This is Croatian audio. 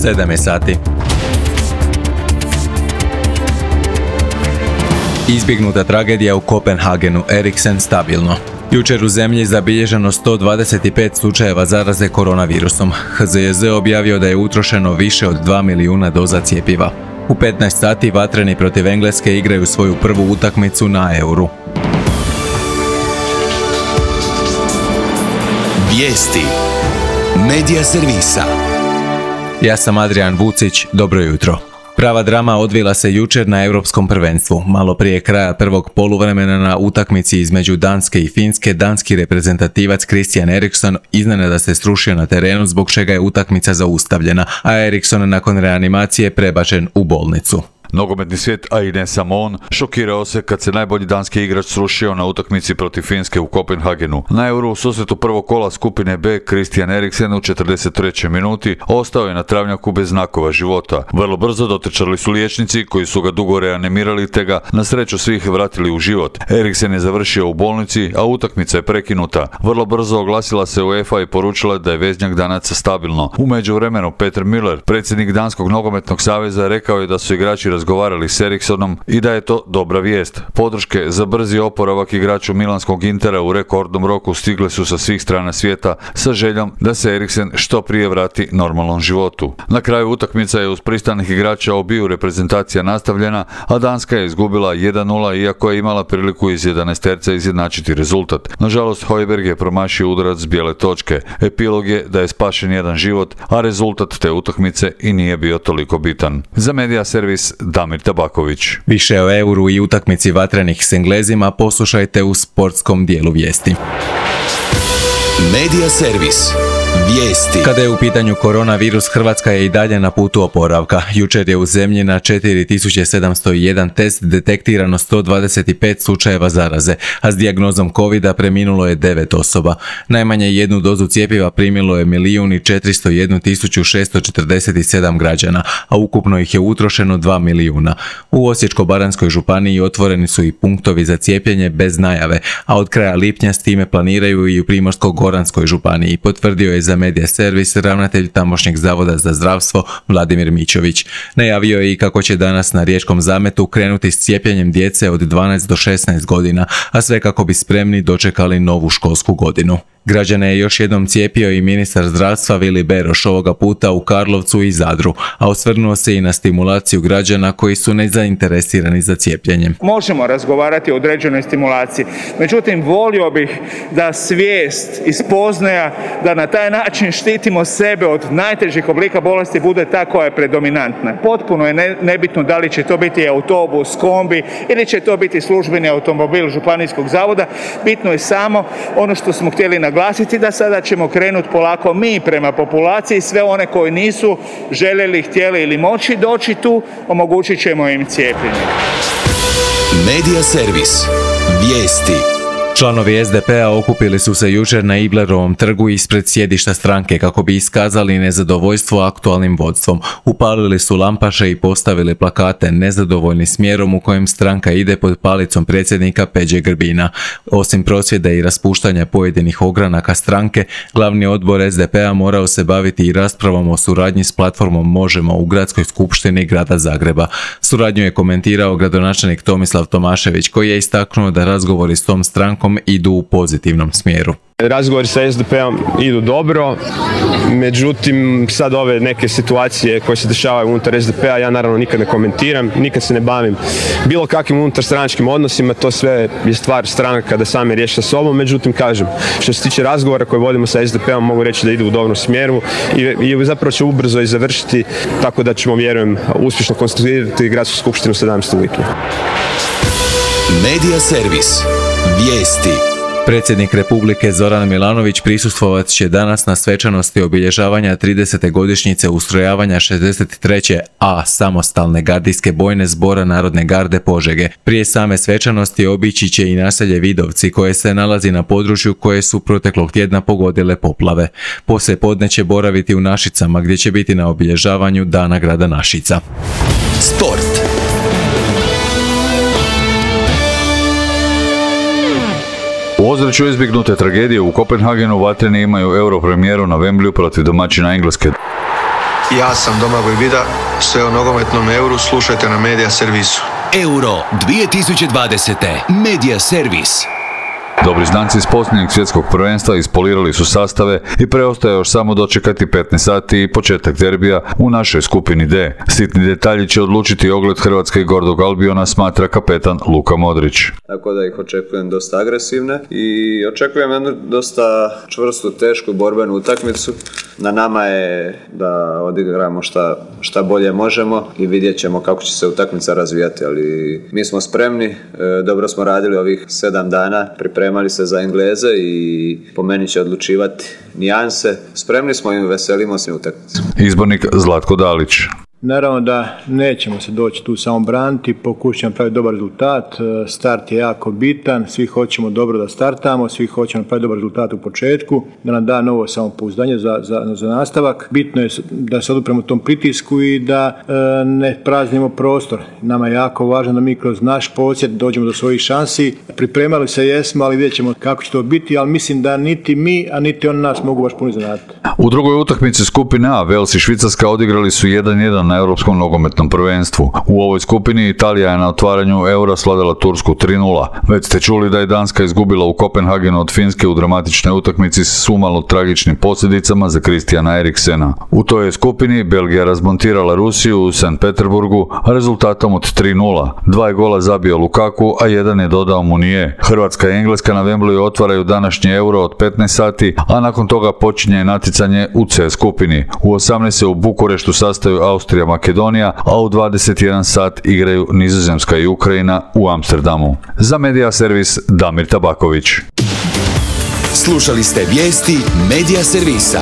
7 sati. Izbjegnuta tragedija u Kopenhagenu, Eriksen stabilno. Jučer u zemlji zabilježeno 125 slučajeva zaraze koronavirusom. HZJZ objavio da je utrošeno više od 2 milijuna doza cjepiva. U 15 sati vatreni protiv Engleske igraju svoju prvu utakmicu na Euru. Vijesti Medija servisa. Ja sam Adrian Vucić, dobro jutro. Prava drama odvila se jučer na Europskom prvenstvu. Malo prije kraja prvog poluvremena na utakmici između Danske i Finske, danski reprezentativac Christian Eriksen iznenada se srušio na terenu zbog čega je utakmica zaustavljena, a Eriksen nakon reanimacije prebačen u bolnicu. Nogometni svijet, a i ne samo on, šokirao se kad se najbolji danski igrač srušio na utakmici protiv Finske u Kopenhagenu. Na Euro u susretu prvog kola skupine B Christian Eriksen u 43. minuti ostao je na travnjaku bez znakova života. Vrlo brzo dotrčali su liječnici koji su ga dugo reanimirali te ga na sreću svih vratili u život. Eriksen je završio u bolnici, a utakmica je prekinuta. Vrlo brzo oglasila se UEFA i poručila da je veznjak Danaca stabilno. U međuvremenu Peter Müller, predsjednik Danskog nogometnog saveza, rekao je da su igrači razgovarali s Eriksenom i da je to dobra vijest. Podrške za brzi oporavak igraču milanskog Intera u rekordnom roku stigle su sa svih strana svijeta sa željom da se Eriksen što prije vrati normalnom životu. Na kraju utakmica je uz pristanak igrača obiju reprezentacija nastavljena, a Danska je izgubila 1-0 iako je imala priliku iz 11 izjednačiti rezultat. Nažalost, Højbjerg je promašio udarac s bijele točke. Epilog je da je spašen jedan život, a rezultat te utakmice i nije bio toliko bitan. Za Medija servis Damir Tabaković. Više o Euru i utakmici vatrenih s Englezima poslušajte u sportskom dijelu vijesti. Medija servis. Vijesti. Kada je u pitanju koronavirus, Hrvatska je i dalje na putu oporavka. Jučer je u zemlji na 4701 test detektirano 125 slučajeva zaraze, a s dijagnozom covida preminulo je 9 osoba. Najmanje jednu dozu cjepiva primilo je 1.401.647 građana, a ukupno ih je utrošeno 2 milijuna. U Osječko-baranjskoj županiji otvoreni su i punktovi za cijepljenje bez najave, a od kraja lipnja s time planiraju i u Primorsko-goranskoj županiji, potvrdio je za Medija servis ravnatelj tamošnjeg zavoda za zdravstvo Vladimir Mićović. Najavio je i kako će danas na Riječkom zametu krenuti s cijepljenjem djece od 12 do 16 godina, a sve kako bi spremni dočekali novu školsku godinu. Građane je još jednom cijepio i ministar zdravstva Vili Beroš, ovoga puta u Karlovcu i Zadru, a osvrnuo se i na stimulaciju građana koji su nezainteresirani za cijepljenje. Možemo razgovarati o određenoj stimulaciji, međutim volio bih da svijest i spoznaja da na taj način štitimo sebe od najtežih oblika bolesti bude ta koja je predominantna. Potpuno je nebitno da li će to biti autobus, kombi ili će to biti službeni automobil županijskog zavoda, bitno je samo ono što smo htjeli naglasiti, da sada ćemo krenuti polako mi prema populaciji, sve one koji nisu željeli, htjeli ili moći doći tu, omogućit ćemo im cijepljenje. Medija servis. Vijesti. Članovi SDP-a okupili su se jučer na Iblerovom trgu ispred sjedišta stranke kako bi iskazali nezadovoljstvo aktualnim vodstvom. Upalili su lampaše i postavili plakate nezadovoljni smjerom u kojem stranka ide pod palicom predsjednika Peđe Grbina. Osim prosvjeda i raspuštanja pojedinih ogranaka stranke, glavni odbor SDP-a morao se baviti i raspravom o suradnji s platformom Možemo u Gradskoj skupštini grada Zagreba. Suradnju je komentirao gradonačelnik Tomislav Tomašević, koji je istaknuo da razgovori s tom strankom idu u pozitivnom smjeru. Razgovori sa SDP-om idu dobro, međutim sad ove neke situacije koje se dešavaju unutar SDP-a ja naravno nikad ne komentiram, nikad se ne bavim bilo kakvim unutarstranačkim odnosima, to sve je stvar stranaka da sami riješi sa sobom, međutim kažem, što se tiče razgovora koje vodimo sa SDP-om mogu reći da idu u dobrom smjeru i zapravo će ubrzo i završiti, tako da ćemo, vjerujem, uspješno konstituirati gradsku skupštinu 17. lipnja. Medija servis. Vijesti. Predsjednik Republike Zoran Milanović prisustvovat će danas na svečanosti obilježavanja 30. godišnjice ustrojavanja 63. A samostalne gardijske bojne zbora Narodne garde Požege. Prije same svečanosti obići će i naselje Vidovci koje se nalazi na području koje su proteklog tjedna pogodile poplave. Poslije podne će boraviti u Našicama gdje će biti na obilježavanju Dana grada Našica. Sport. U ozračju izbjegnute tragedije u Kopenhagenu vatreni imaju Euro premijeru na Wembleyu protiv domaćina Engleske. Ja sam Domagoj Vida, sve o nogometnom Euru slušajte na Media Servisu. Euro 2020. Media Servis. Dobri znanci iz posljednjeg svjetskog prvenstva ispolirali su sastave i preostaje još samo dočekati 15 sati i početak derbija u našoj skupini D. Sitni detalji će odlučiti ogled Hrvatske i Gordog Albiona, smatra kapetan Luka Modrić. Tako da ih očekujem dosta agresivne i očekujem jednu dosta čvrstu, tešku borbenu utakmicu. Na nama je da odigramo šta bolje možemo i vidjet ćemo kako će se utakmica razvijati, ali mi smo spremni, dobro smo radili ovih 7 dana, pripremali se za Engleze i po meni će odlučivati nijanse. Spremni smo i veselimo se utakmicu. Izbornik Zlatko Dalić. Naravno da nećemo se doći tu samo braniti, pokušamo praviti dobar rezultat, start je jako bitan, svi hoćemo dobro da startamo, svi hoćemo praviti dobar rezultat u početku, da nam da novo samopouzdanje za nastavak. Bitno je da se odupremo tom pritisku i da ne praznimo prostor. Nama je jako važno da mi kroz naš posjed dođemo do svojih šansi. Pripremali se jesmo, ali vidjet ćemo kako će to biti, ali mislim da niti mi, a niti oni nas mogu baš puno zanati. U drugoj utakmici skupine A, Wales i Švicarska odigrali su 1-1 na Europskom nogometnom prvenstvu. U ovoj skupini Italija je na otvaranju Eura slavila Tursku 3-0. Već ste čuli da je Danska izgubila u Kopenhagenu od Finske u dramatičnoj utakmici s umalo tragičnim posljedicama za Christiana Eriksena. U toj skupini Belgija razmontirala Rusiju u St. Peterburgu rezultatom od 3-0. 2 je gola zabio Lukaku, a 1 je dodao Munije. Hrvatska i Engleska na Wembleyu otvaraju današnji Euro od 15 sati, a nakon toga počinje natjecanje u C skupini. U 18 se u Bukureštu sastaju Austrija, Makedonija, a u 21 sat igraju Nizozemska i Ukrajina u Amsterdamu. Za Media Servis Damir Tabaković. Slušali ste vijesti Media Servisa.